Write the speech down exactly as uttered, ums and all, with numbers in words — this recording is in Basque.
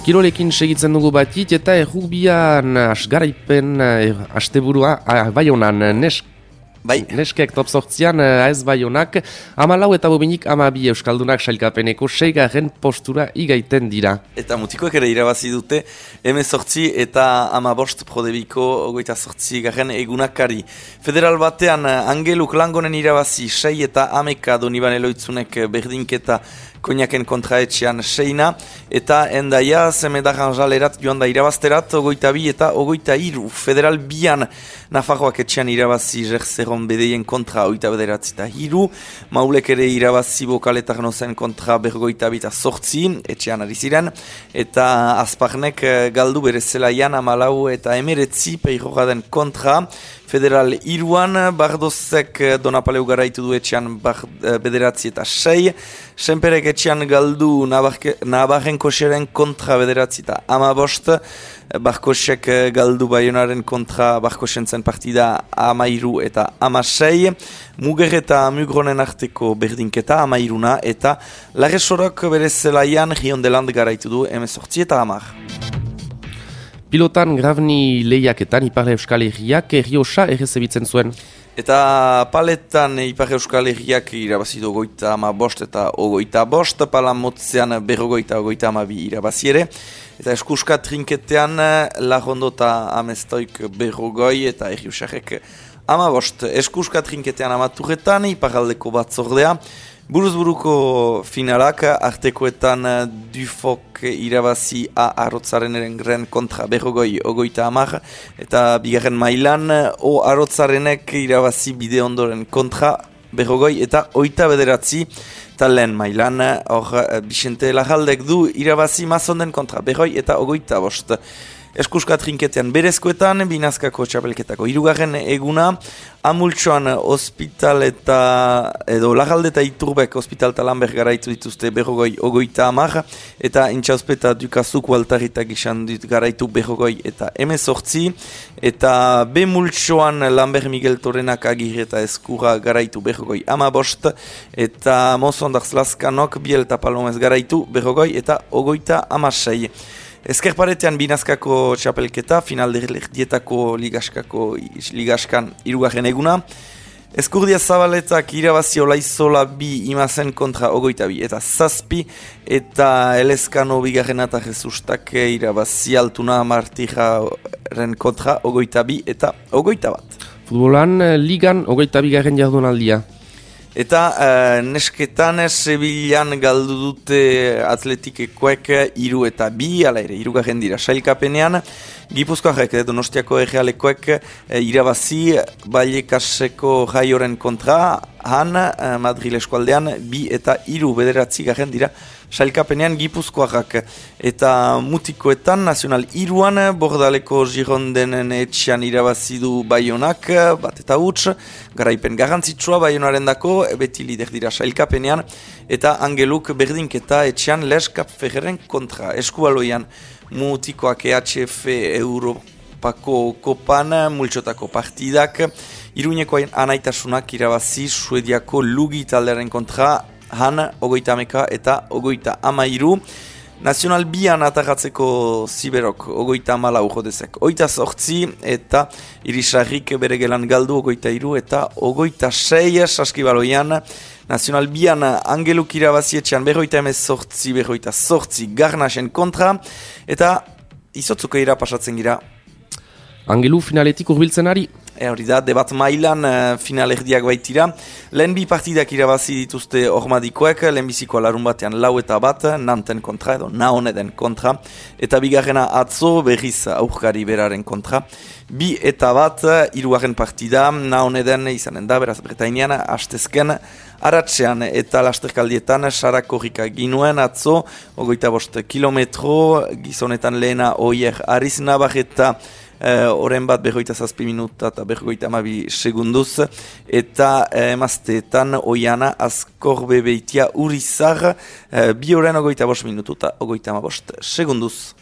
Kirolekin segitzen dugu batit eta errugbian asgaraipen asteburua Baionan nesk. Bai. Neskek top sortzian ez Baionak hamalau eta bobinik hamabi euskaldunak sailkapeneko seigarren postura igaiten dira. Eta mutikoek ere irabazi dute hemezortzi eta hamabost prodebiko hogeita zortzi garen egunakari. Federal batean Angeluk Langonen irabazi sei eta hameka Doniban Eloitzunek berdinketa Koñaken kontraetxean seina, eta endaia zemedaran jalerat joan da irabazterat, ogoita bi eta ogoita iru. Federal bian Nafarroak etxean irabazi Jerzeron bedeien kontra oita bederatzi eta hiru, Maulek ere irabazi Bokaletar nozen kontra bergoita bita sortzi, etxean ari ziren, eta Azparnek galdu bere zelaian amalau eta emeretzi peirogaden kontra. Federal iruan, Bardozek Donapaleu garaitu du etxean bederatzi eta sei, Senperek etxean galdu Nabarrenkoseren kontra bederatzi eta amabost, Barkosek galdu Baionaren kontra Barkosentzen partida amairu eta amasei, Muger eta Mugronen arteko berdinketa amairuna, eta Larresorok bere zelaian Riondeland garaitu du hemezortzi eta amar. Pilotan Gravni lehiaketan Ipar Euskal Herriak Errioxa errezebitzen zuen. Eta paletan Ipar Euskal Herriak irabazi du ogoita ama bost eta ogoita bost, palamotzean berrogoita ogoita amabi irabazi ere. Eta eskuska trinketean Larrondo eta Amestoik berrogoi eta Errioxarek ama bost. Eskuska trinketean amaturretan Iparaldeko batzordea. Buruzburuko finalak artekoetan Dufok irabazi A Arrotzaren eren kontra berrogoi ogoita amar, eta bigarren mailan O Arrotzarenek irabazi bide ondoren kontra berrogoi eta oita bederatzi, eta lehen mailan hor Bixente Larraldek du irabazi Mazonden kontra berroi eta ogoita bost. Eskuska trinketean berezkoetan, binazkako txapelketako hirugarren eguna, Amultxoan ospital eta, edo Larralde eta Iturbek ospital eta Lanber garaitu dituzte berrogoi ogoita amar, eta Intxauspeta Dukazuko altarita gizan dut garaitu berrogoi eta emezortzi, eta Bemultxoan Lanber Miguel Torenak Agir eta Eskura garaitu berrogoi amabost, eta Mozondarz Laskanok Biel eta Palomez garaitu berrogoi eta ogoita amasei. Ezkerparetean binazkako txapelketa, finalderdietako ligaskako ligaskan irugarren eguna. Eskurdia Zabaletak irabazi Olaizola bi imazen kontra ogoita bi eta zazpi, eta Elezkano bigarren eta Jesustak irabazi Altuna Martiraren kontra ogoita bi eta ogoita bat. Futbolan ligan ogoita bigarren jardunaldia. Eta uh, nesketan Sevillan galdu dute atletikekoek iru eta bi, ala ere, irugarren dira sailkapenean. Gipuzkoarek, Donostiako errealekoek uh, irabazi Vallecaseko Jaioren kontra, han uh, Madril eskualdean bi eta iru bederatzi garen dira sailkapenean Gipuzkoarrak. Eta mutikoetan, nazional iruan, Bordaleko Girondenen etxean irabazi du Baionak, bat eta huts, garaipen garrantzitsua Baionaren dako, beti lider dira sailkapenean, eta Angeluk berdinketa etxean Leskap Ferreren kontra. Eskubaloian mutikoak E H F Europako kopan, multxotako partidak, Iruñeko anaitasunak irabazi Suediako Lugi taldearen kontra, han ogoita ameka eta ogoita amairu. Nazional bian atagatzeko Ziberok ogoita amala urodezek oita sortzi, eta Irisarrik bere gelan galdu ogoita iru eta ogoita sei. Saskibaloian Nazional bian Angeluk irabazi etxean berroita emez sortzi, berroita sortzi Garnasen kontra, eta izotzuko ira pasatzen gira. Angelu finaletik urbiltzen ari. E hori da, debat mailan uh, final erdiak baitira. Lehen bi partidak irabazi dituzte ormadikoek, lehen bizikoa larun batean lau eta bat, Nanten kontra edo Naoneden kontra, eta bigarrena atzo berriz aurkari beraren kontra. Bi eta bat, hirugarren partida, Naoneden izanen da, beraz Bretainean, hastezken, aratzean eta lasterkaldietan sarakorrika ginuen atzo, ogoita bost kilometro, gizonetan lehena oier Ariz Navarreta, Uh, oren bat berroita zazpi minuta eta berroita amabi segunduz, eta uh, emazteetan oiana Azkor Bebeitia Urizar, uh, bi oren ogoita bost minutu eta ogoita amabost segunduz.